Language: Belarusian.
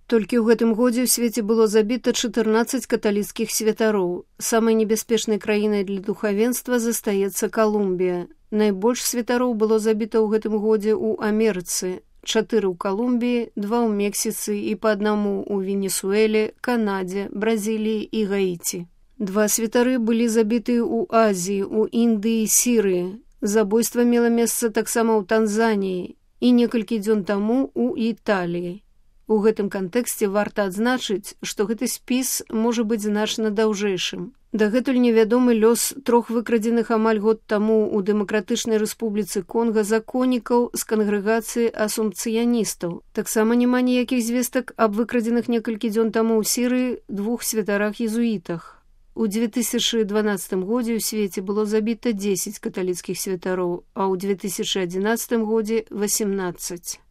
Толькі ў гэтым годзе ў свеце было забіта 14 каталіцкіх святароў. Самай небяспечнай краінай для духавенства застаецца Калумбія. Найбольш святароў было забіта ў гэтым годзе ў Амерыцы. 4 ў Калумбіі, 2 ў Мексіцы і па аднаму ў Венесуэле, Канадзе, Бразіліі і Гаіці. 2 святары былі забіты ў Азіі, у Індыі і Сірыі. Забойства мела месца таксама ў Танзаніі і некалькі дзён таму ў Італіі. У гэтым кантэксце варта адзначыць, што гэты спіс можа быць значна даўжэйшым. Дагэтуль невядомы лёс 3 выкрадзеных амаль год таму ў Дэмакратычнай Рэспубліцы Конга законнікаў з кангрэгацыі асумпцыяністаў. Таксама няма ніякіх звестак аб выкрадзеных некалькі дзён таму ў Сірыі 2 святарах-езуітах. У 2012 годзе ў свеце было забіта 10 каталіцкіх святароў, а ў 2011 годзе 18.